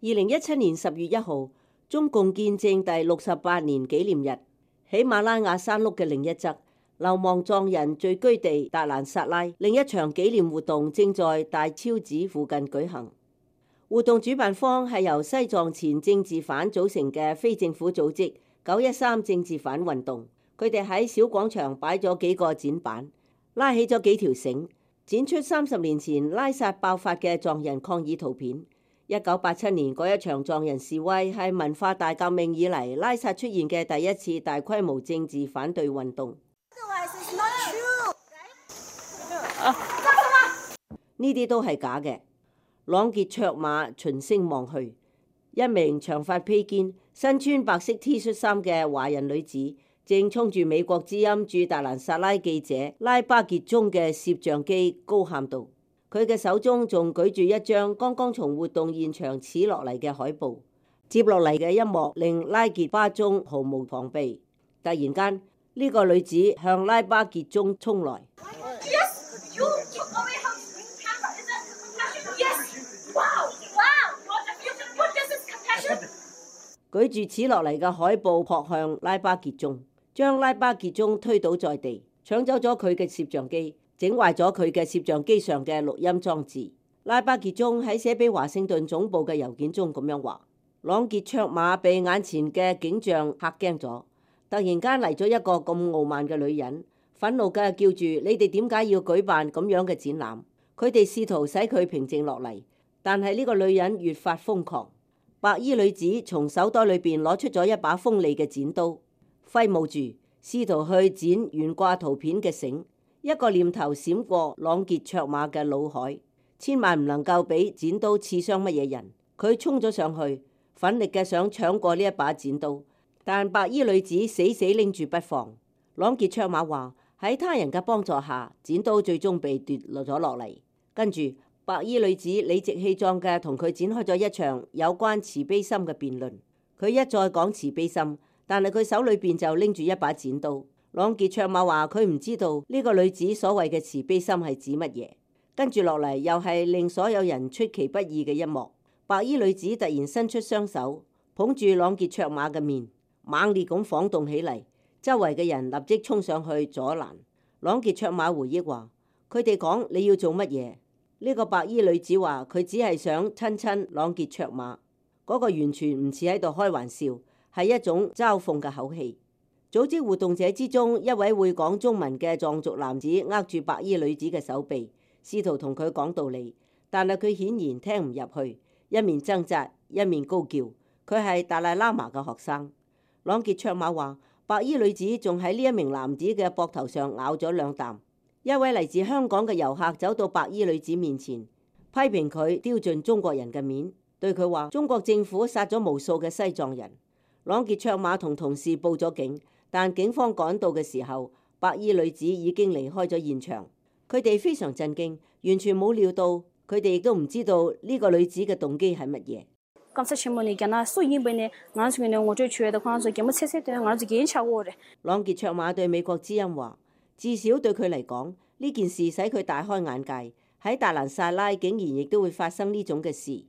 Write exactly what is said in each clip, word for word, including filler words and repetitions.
二零一七年十月一號，中共建政第六十八年紀念日，喜馬拉雅山麓嘅另一側，流亡藏人聚居地達蘭薩拉，另一場紀念活動正在大昭寺附近舉行。活動主辦方係由西藏前政治犯組成嘅非政府組織九一三政治犯運動。佢哋喺小廣場擺咗幾個展板，拉起咗幾條繩，展出三十年前拉薩爆發嘅藏人抗議圖片。一九八七年嗰一場藏人示威係文化大革命以嚟拉薩出現嘅第一次大規模政治反對運動。呢啲都係假嘅。朗傑卓瑪循聲望去，一名長髮披肩、身穿白色 T 恤衫嘅華人女子正衝住美國之音駐達蘭薩拉記者拉巴傑宗嘅攝像機高喊道。佢嘅手中仲舉住一張剛剛從活動現場扯落嚟嘅海報。接落嚟嘅一幕令拉傑巴宗毫無防備。突然間，呢個女子向拉巴傑宗衝來。Yes, you took away her camera, is it? Yes. Wow, wow, what is this compassion? 舉住扯落嚟嘅海報撲向拉巴傑宗，將拉巴傑宗推倒在地，搶走咗佢嘅攝像機，整壞咗佢嘅攝像機上嘅錄音裝置。拉巴傑宗喺寫俾華盛頓總部嘅郵件中咁樣話：朗傑卓瑪被眼前嘅景象嚇驚咗，突然間嚟咗一個咁傲慢嘅女人，憤怒嘅叫住：你哋點解要舉辦咁樣嘅展覽？佢哋試圖使佢平靜落嚟，但係呢個女人越發瘋狂。白衣女子從手袋裏邊攞出咗一把鋒利嘅剪刀，揮舞住，試圖去剪懸掛圖片嘅繩。一個念頭閃過朗傑卓瑪嘅腦海，千萬唔能夠俾剪刀刺傷乜嘢人。佢衝咗上去，奮力嘅想搶過呢一把剪刀，但白衣女子死死拎住不放。朗傑卓瑪話喺他人嘅幫助下，剪刀最終被奪落咗落嚟。跟住白衣女子理直氣壯嘅同佢展開咗一場有關慈悲心嘅辯論。佢一再講慈悲心，但係佢手裏邊就拎住一把剪刀。朗傑卓瑪話佢唔知道呢個女子所謂嘅慈悲心係指乜嘢。跟住落嚟又係令所有人出其不意嘅一幕。白衣女子突然伸出雙手捧住朗傑卓瑪嘅面，猛烈咁晃動起嚟，周圍嘅人立即衝上去阻攔。朗傑卓瑪回憶話：佢哋講你要做乜嘢？呢個白衣女子話佢只係想親親朗傑卓瑪，嗰個完全唔似喺度開玩笑，係一種嘲諷嘅口氣。組織活動者之中一位會講中文嘅藏族男子握住白衣女子嘅手臂，試圖同佢講道理，但係佢顯然聽唔入去，一面掙扎一面高叫。佢係達賴喇嘛嘅學生。朗傑卓瑪話白衣女子仲喺呢一名男子嘅膊頭上咬咗兩啖。一位嚟自香港嘅遊客走到白衣女子面前，批評佢丟盡中國人嘅面，對佢話中國政府殺咗無數嘅西藏人。朗傑卓瑪同同事報咗警，但警方趕到嘅時候，白衣女子已經離開咗現場。佢哋非常震驚，完全冇料到，佢哋亦都唔知道呢個女子嘅動機係乜嘢。朗傑卓瑪對美國之音話：至少對佢嚟講，呢件事使佢大開眼界。喺達蘭薩拉竟然亦都會發生呢種嘅事。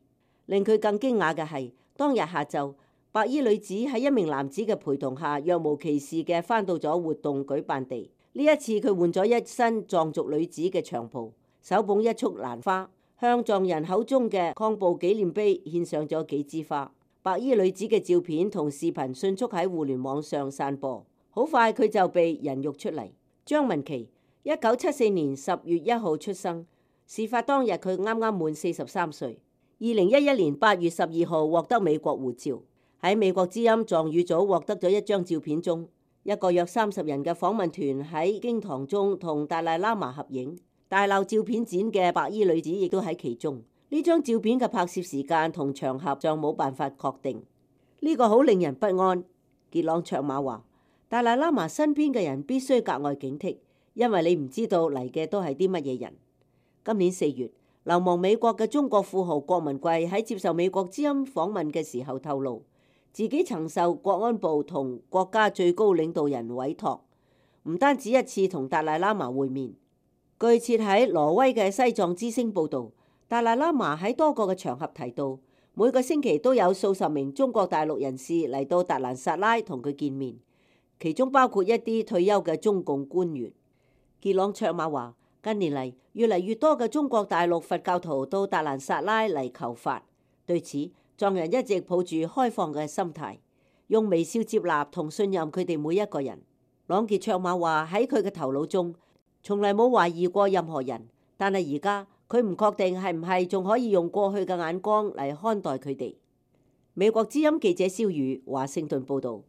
令佢更驚訝嘅係，當日下晝，白衣女子喺一名男子嘅陪同下，若無其事嘅返到咗活動舉辦地。呢一次佢換咗一身藏族女子嘅長袍，手捧一束蘭花，向藏人口中嘅抗暴紀念碑獻上咗幾枝花。白衣女子嘅照片同視頻迅速喺互聯網上散播，好快佢就被人肉出嚟。張文琪，一九七四年十月一號出生，事發當日佢啱啱滿四十三歲。二零一一年八月十二號獲得美國護照。喺美國之音藏語組獲得咗一張照片中，一個約三十人嘅訪問團喺經堂中同達賴喇嘛合影。大鬧照片展嘅白衣女子亦都喺其中。呢張照片嘅拍攝時間同場合尚冇辦法確定。呢個好令人不安。傑朗卓瑪話：達賴喇嘛身邊嘅人必須格外警惕，因為你唔知道嚟嘅都係啲乜嘢人。今年四月，流亡美國嘅中國富豪郭文貴喺接受美國之音訪問嘅時候透露，自己曾受國安部同國家最高領導人委託，唔單止一次同達賴喇嘛會面。據設喺挪威嘅西藏之聲報導，達賴喇嘛喺多個嘅場合提到，每個星期都有數十名中國大陸人士嚟到達蘭薩拉同佢見面，其中包括一啲退休嘅中共官員。傑朗卓馬話：近年嚟，越嚟越多嘅中國大陸佛教徒到達蘭薩拉嚟求法，對此藏人一直抱住開放嘅心態，用微笑接納同信任佢哋每一個人。朗傑卓馬話：喺佢嘅頭腦中，從嚟冇懷疑過任何人，但係而家佢唔確定係唔係仲可以用過去嘅眼光嚟看待佢哋。美國之音記者蕭宇華盛頓報道。